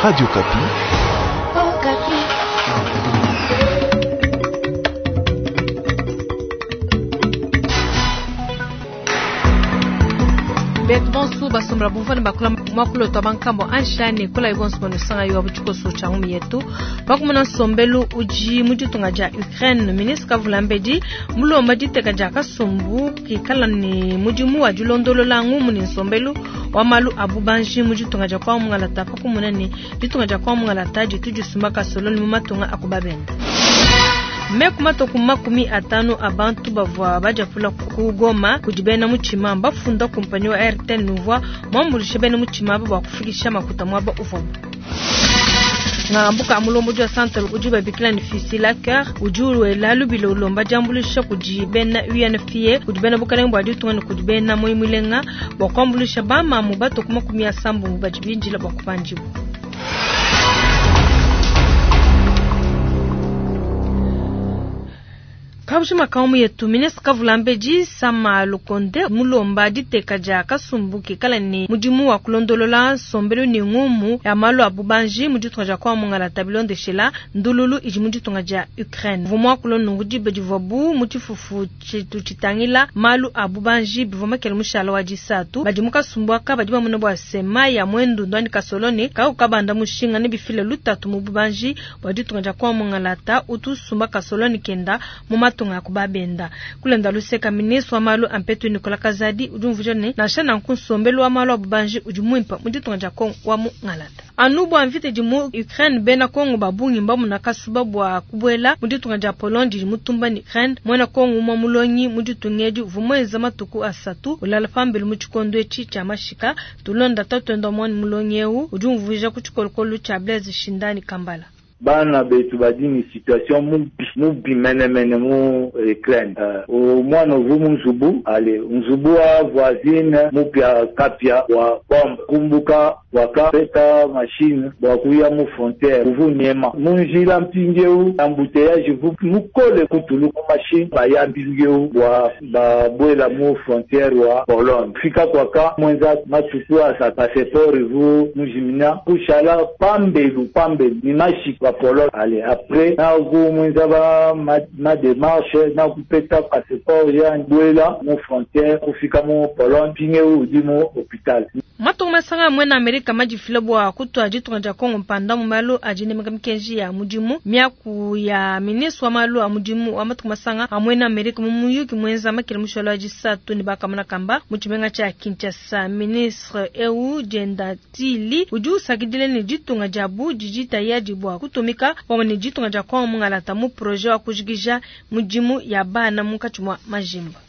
Radio Okapi. Betu bonso basombela bumvua ne bakula muakulu wetu wa bankambo ansha ne kolayi bonso banusanga yo tshikoso tshia ngumu yetu pakumona nsombelu udi mu ditunga dia Ukraine. Ministre Kavulambedi mulomba diteka dia kasumbu kikala ne mudimu wa dilondolola ngumu ne nsombelu wa malu a bubanji mu ditunga dia kwa mungalata pakumona ne ditunga dia kwa mungalata ditu disumba kasoloni mu matunga a ku babenda. Meku matoku 50 a bantu bavua badiapula ku Goma kudi bena mutshima mbafunda kumpanyi wa Airtel nuvua muambuluishe bena mutshima aba bua kufikisha makuta muaba uvuabu. Ngambuka mulombodi wa Santal udi babikila ne Fisila Cœur udi wela lubila ulomba diambuluisha kudi bena UNFPA kudi bena bukalenge bua ditunga ne kudi bena Moyi Mulenga bua kuambuluisha bamamu batoku 70 badi bindila bua kupandibua. Kabushima kaumu yetu ministre Kavulambedi Sama Lukonde mulomba diteka dia kasumbu kikala ne mudimu wa kulondolola nsombelu ne ngumu ya malu a bubanji mu ditunga dia kwa mungalata bilondeshela ndululu idi mu ditunga dia Ukraine. Vua muakula nunku diba divuabu mu tshifufu tshitu tshitangila malu a bubanji bivua makele mushala wa disatu. Badi mu kasumbu aka badi bamona bua sema ya mwendu ndwani kasoloni kakukabanda mushinga ne bifile lutatu mu bubanji bua ditunga dia kwa mungalata utu sumba kasoloni kenda mu matunga a ku babenda. Kulenda luseka ministre wa malu a mpetu Nicolas Kazadi udi umvuija ne nansha nanku nsombelu wa malu a bubanji udi muimpe mu ditunga dia Kongo wa mungalata. Anu bua mvita idi mu Ukraine bena Kongo ba bungi mbamuna kasuba bua kubuela mu ditunga dia Pologne didi mutumba ne Ukraine. Muena Kongo umue mulongi mu ditunga edi uvua muenza matuku asatu ulala pambelu mu tshikondo etshi tshia mashika. Tulonda tatuende wa muana mulongi eu udi umvuija ku tshikolokolo tshia Blaise Shindani Kambala. Bana betu badi ne situation mubi mubi menemene mu Ukraine. Uh, mwana uvu mu nzubu ale nzubu wa voisine mupia kapia wa bombe kumbuka wakapeta machine bua kuya mu frontiere uvu nyema mu njila mpindieu embouteillage vu mukole kutulu ku machine baya mpindieu bua babuela mu frontiere wa Pologne fika kwaka mwenza matuku asa passeport vu mujimina kushala pambelu pambelu ni mashika wa Pologne ale après na ku mwenza ba ma, ma démarche na kupeta passeport ya buela mu frontiere kufika mu Pologne mpindieu udi mu hôpital. Matunga masanga amwe na Amerika madifila bua kutua ditunga dia Kongo mpanda mu malu a dinemeka mikenji ya mudimu. Miaku ya ministre wa malu a mudimu wa matunga masanga amwe na Amerika mu muyuki mwenza makele mushalo wa disatu ne bakamona kamba mu tshimenga tshia Kinshasa. Ministre eu dienda Tili udi usakidila ne ditunga diabu didi tayadi bua kutumika pamue ne ditunga dia Kongo mungalata mu projet wa kujikija mudimu ya bana munkatshi mua majimba.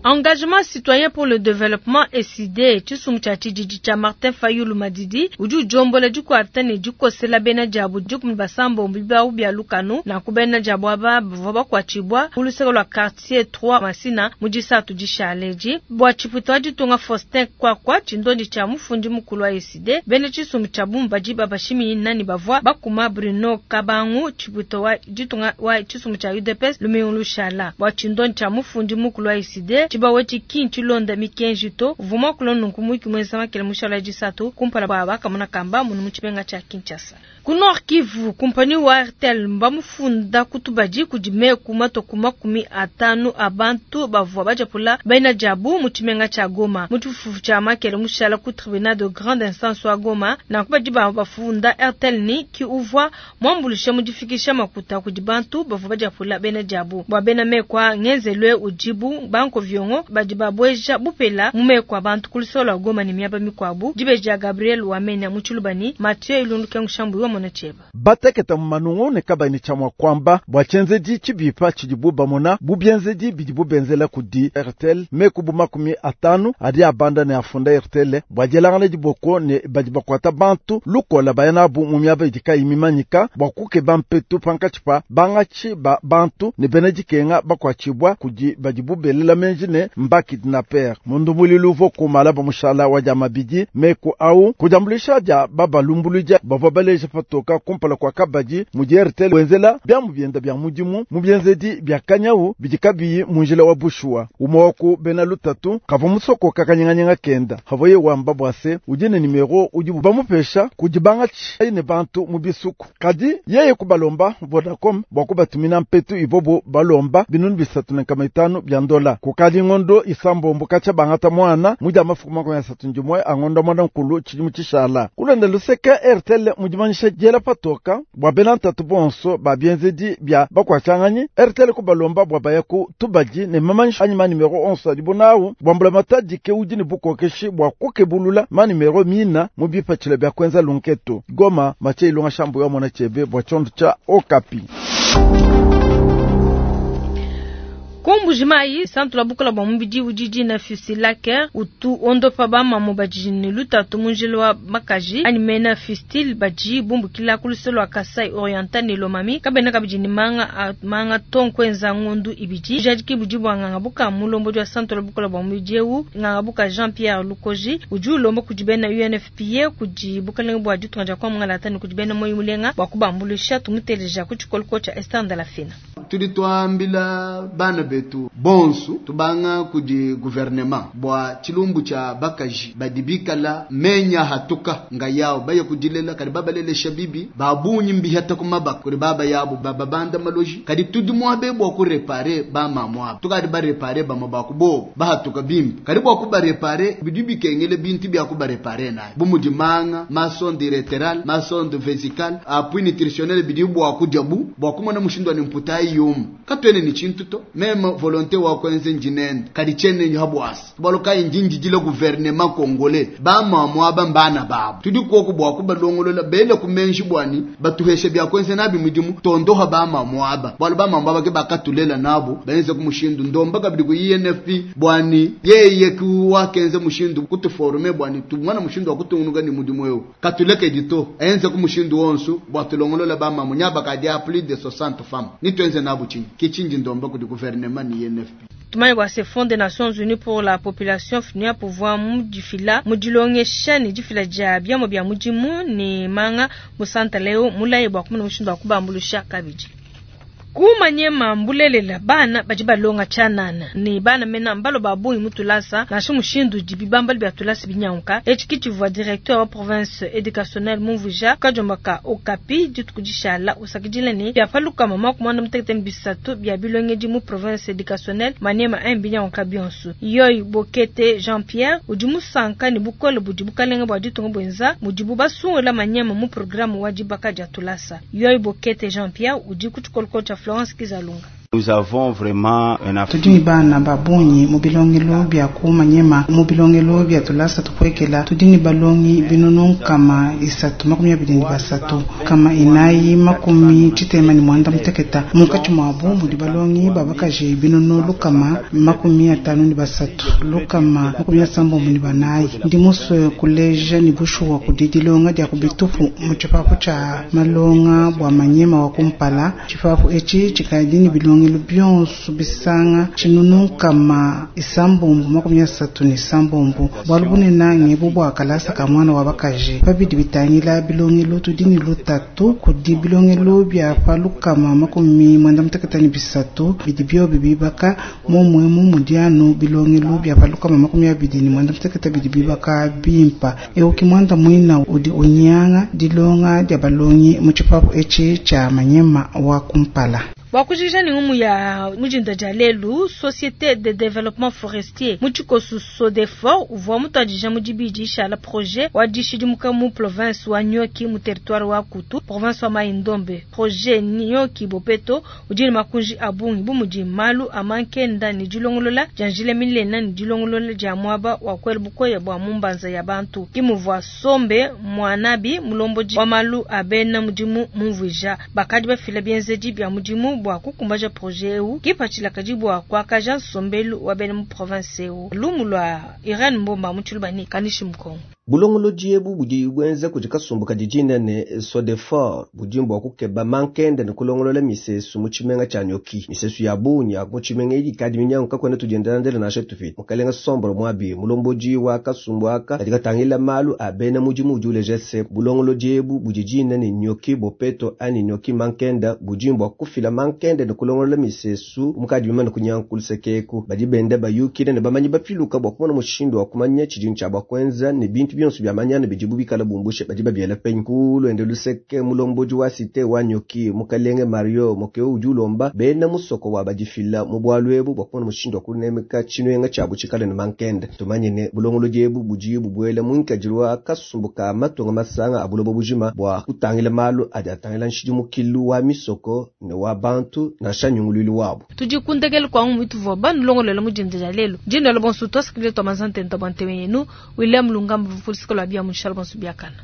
Engagement citoyen pour le développement ECiDé tshisumbu tshia tshididi tshia Martin Fayulu Madidi udi ujombola dikuata ne dikosela bena diabu 17 bibawu bia lukanu nanku bena diabu aba bavua bakuatshibua ku luseke lua quartier 3 Masina mu disatu dishale bua tshipuita wa ditunga Faustin Kwakwa tshindondi tshia mufundi mukulu wa ECiDé bena tshisumbu tshia bumu badi babashiminyina ne bavua bakuma Bruno Kabangu tshipuita wa ditunga wa tshisumbu tshia UDPS lumingu lushala bua tshindondi tshia mufundi mukulu wa ECiDé tshibawu etshi tshilonda mikenji to uvua muakula nunku muyuki muenza makele mushala disatu kumpala kua bakamona kamba munu mu tshimenga tshia Kinshasa. Ku Nord Kivu, kumpanyi wa Airtel mbamufunda kutubadi kudi meku matoku 50 a bantu bavua badiapula bena diabu mu tshimenga tshia Goma. Mu tshifufu tshia makele mushala ku tribunal de grande instance wa Goma, nanku badi bafunda Airtel ni ki uvua muambuluishe mu difikisha makuta kudi bantu bavua badiapula bena diabu. Bua bena meku a ngenzelwe udibu banko viongo badi babweja bupela mu meku a bantu ku lusolo lua Goma ne miaba mikuabu. Dibeji dia Gabriel Wamenya mu Tshilubani, Mathieu Ilundu Kengu wa mona tshieba. Bateketa mu manungu ne kabayi tshia mua kuamba bua tshienzedi tshibipa tshidibu bamona bu bienzedi bidibu benzela kudi Airtel meku bu 50 adi abanda ne afunda Airtel bua dielangana diboko ne badi bakuata bantu lukola baya nabu mu miaba idi kayi mimanyika bua kukeba mpetu pankatshi pa bangatshi ba bantu ne bena dikenga bakuatshibua kudi badibu belela menji ne mba kidnapper. Mundu mulilu uvua kumala ba mushala wa dia mabidi meku au kudiambuluisha dia babalumbuludia bavua baleja patoka kumpala kua kabadi mudi RTL wenzela biamu bienda bia mudimu mu bienzedi bia kanyawu bidi kabiyi mu njila wa bushuwa. Umwe wa ku bena lutatu kavua musokoka kanyinganyinga kenda havoye wamba bua se udi ne nimero udi bamupesha kudi bangatshi ne bantu mu bisuku, kadi yeye kubalomba Vodacom bua kubatumina mpetu ivobo balomba 305 bya ndola. Kukadi ngondo isambombo kacha bangata mwana muja mafuku 31 angondo mwana nkulu chidimu chishala. Kulonda luseke RTL mudimanyisha jela patoka bua bena ntatu bonso ba bienzedi bya bakwachanganyi RTL kubalomba bua bayaku tubadi ne mamanyisha anyi ma nimero 11 adibo nawu bwambula matadi ke udi ne bukokeshi bua kukebulula ma nimero mina mu bipatshila bya kwenza lunketo. Goma mache ilonga shambu ya mwana chebe bua chondo cha Okapi. Kumbujimai santu la bukola bwa mubidi ujiji na fusilake utu ondopa ba mamu baji ne lutatu munjilo wa makaji ani mena fustil baji bumbukila kuluselo wa Kasai Oriental ne Lomami kabena kabiji ni manga manga tonkwenza ngondu ibiji jadiki bujibu nganga buka mulombo wa santu la bukola bwa mubidi eu nganga buka Jean-Pierre Lukoji uju lombo kujibena UNFPA kuji bukalenga bwa ditunga kwa mungala tani kujibena moyo mulenga bwa kubambulisha tumuteleja kuchikolko cha Esther Ndalafina. Tulitwambila bana betu bonsu tubanga kudi gouvernement bwa chilumbu cha bakaji badibikala menya hatuka nga yao baye kudilela kadi babalelesha bibi babunyi mbihata kumabaka kuri baba yabo bababanda maloji kadi tudi mwabe bwa kurepare ba mamwa tukadi barepare ba mabaku bo bahatuka bimbi kadi bwa kubarepare bidi bikengele bintu bya kubarepare nayo bumudi manga masonde lateral masonde vesical appui nutritionnel bidi bwa kujabu bwa kumona mushindo ni mputai yum katwene ni chintuto meme volonté wa kwenze njinende kadi chene nhabwasi baloka injinji jile gouvernement congolais ba mamwa ba mbana babo tudi koko bwa kubalongolola bele kumenji bwani batuheshe bya kwenze nabi mudimu tondoha ba mamwa ba balo ba mamwa ba ke bakatulela nabo benze kumushindu ndomba kabidi ku INFP bwani yeye kuwa kenze mushindu kutuforme bwani tumwana mushindu wa kutungunuka ni mudimu yo katuleke dito enze kumushindu wonsu bwa tulongolola ba mamwa nyaba kadi a plus de 60 femmes ni twenze nabo chinyi kichinji ndomba kudi gouvernement ni INFP. Tumani wa ce Fonds des Nations Unies pour la population FNUA pouvoir mudifila mudilongesha ni difila ja biamo bya mudimu ni manga musanta leo mulaye bwa kumuna mushindu wa kubambulusha kabidi. Kumanyema mbulelela bana baji balonga chanana ni bana mena mbalo babungi mutulasa na shimushindu dibibamba bya tulasa binyanka echikichivwa directeur wa province éducationnelle Mumvuja kajombaka Okapi ditukudishala usakidile ni bya paluka mama kumanda mutekete bisatu bya bilongedi mu province éducationnelle Maniema 1 binyanka bionsu yoy Bokete Jean-Pierre udi musanka ni bukole budi bukalenga bwa ditunga bwenza mudibu basungula Maniema mu programme wa dibaka dia tulasa yoy Bokete Jean-Pierre udi kuchikolko cha Florence Kizalunga. Nous avons vraiment un tudi bana babunyi mu bilongelo bya kumanyema mu bilongelo bya tulasa tukwekela tudi ni balongi binunu kama isatu 23 kama inayi 89 muteketa munkatshi mwabu mudi balongi babakaji binunu lukama 53 lukama 64 ndi muswe kuleja ni bushuwa kudi dilonga dia kubitupu mu tshipapu tsha malonga bwa manyema wa kumpala tshipapu etshi tshikadi ni bilongi bionso bisanga tshinunu kama isambombo 36 bwalu bunene ngebu bwa kalasa ka mwana wa bakaji babidi bitangila bilongelo tudi ni lutatu kudi bilongelo bya palukama 93 bidi byobi bibaka momwemu mudiano bilongelo bya palukama 28 bidi bibaka bimpa euki mwanda mwina udi unyanga dilonga dia balongi mu tshipapu etshi tsha manyema wa kumpala. Wakujisha ni umu ya mujinda jalelu Société de Développement Forestier muchikosu Sodefor uvwa mutadija mujibiji shala projet wa dishidimuka mu province wa Nyoki mu territoire wa Kutu province wa Maindombe projet Nyoki Bopeto ujini makunji abungi bumuji malu amankenda ni dilongolola janjile milena ni dilongolola ja mwaba wa kwelbukoya bwa mumbanza ya bantu kimuvwa sombe mwanabi mulomboji wa malu abena mudimu mumvuja bakadi bafila bienzeji bya mudimu bwa kukumbaja projet eu kipachila kajibu kwa kaja sombelu wa bena mu province eu lumulwa Irene Mbomba muchulubani kanishi mkongo. Bulongolodi ebu budi buenza kudi kasumbu kadi dina ne Sodefor budi bua kukeba mankenda ne kulongolola misesu mu tshimenga tshia Nyoki. Misesu ya bungi ya mu tshimenga idi ikadi minyanguka kakuena tudiendelandela nansha tupita. Mukalenga Sombro Mwabi mulombodi wa kasumbu aka kadi katangila malu a bena mudimu udi uleja se bulongolodi ebu budi dina ne Nyoki Bopeto anyi Nyoki mankenda budi bua kufila mankenda ne kulongolola misesu mukadi bimane kunyanguka kulusekeku. Badi benda bayukila ne bamanyi bapiluka bua kumona mushindu wa kumanya tshidi tshia bua kuenza ne bintu bionso bia manyana bidibu bikala bumbushe badi babiela penyi. Ku luende luseke mulombodi wa cité wa Nyoki mukalenge Mario Mokeo udi ulomba bena musoko wa badifila mu bualu ebu bua kumona mushindu wa kunemeka tshimenga tshiabu tshikale ne mankenda. Tumanye ne bulongolodi ebu budi bubuela mu nkadilu wa kasumbu ka matunga masanga a buloba bujima bua kutangila malu adi atangila nshidimukilu wa misoko ne wa bantu nansha nyunguluilu wabu. Tudi ku ndekelu kua ngumu ituvua banulongoluela mu dinda dia lelu. Dinda bonso tuasakidila tua mazantenta bua ntema yenu. William Lungamba vupulisika lua bia mu nshala bonso biakana.